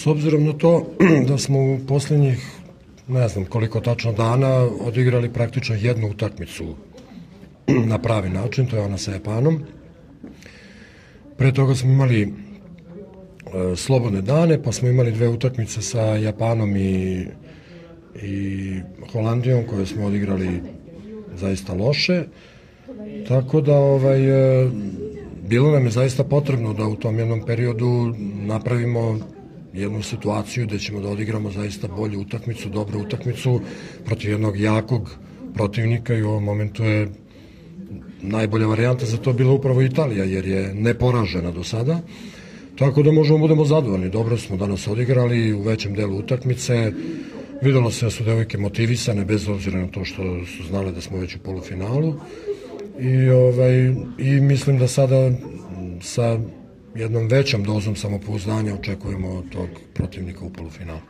obzirom na to da smo u posljednjih, ne znam koliko tačno dana, odigrali praktično jednu utakmicu na pravi način, to je ona sa Japanom. Pre toga smo imali slobodne dane, pa smo imali 2 utakmice sa Japanom i Holandijom koje smo odigrali zaista loše. Tako da bilo nam je zaista potrebno da u tom jednom periodu napravimo jednu situaciju gde ćemo da odigramo zaista bolju utakmicu, dobru utakmicu protiv jednog jakog protivnika i u ovom momentu je najbolja varijanta za to bila upravo Italija, jer je neporažena do sada. Tako da možemo budemo zadovoljni. Dobro smo danas odigrali u većem delu utakmice. Videlo se da su devojke motivisane, bez obzira na to što su znale da smo već u polufinalu. I mislim da sada sa jednom većom dozom samopouzdanja očekujemo od tog protivnika u polufinalu.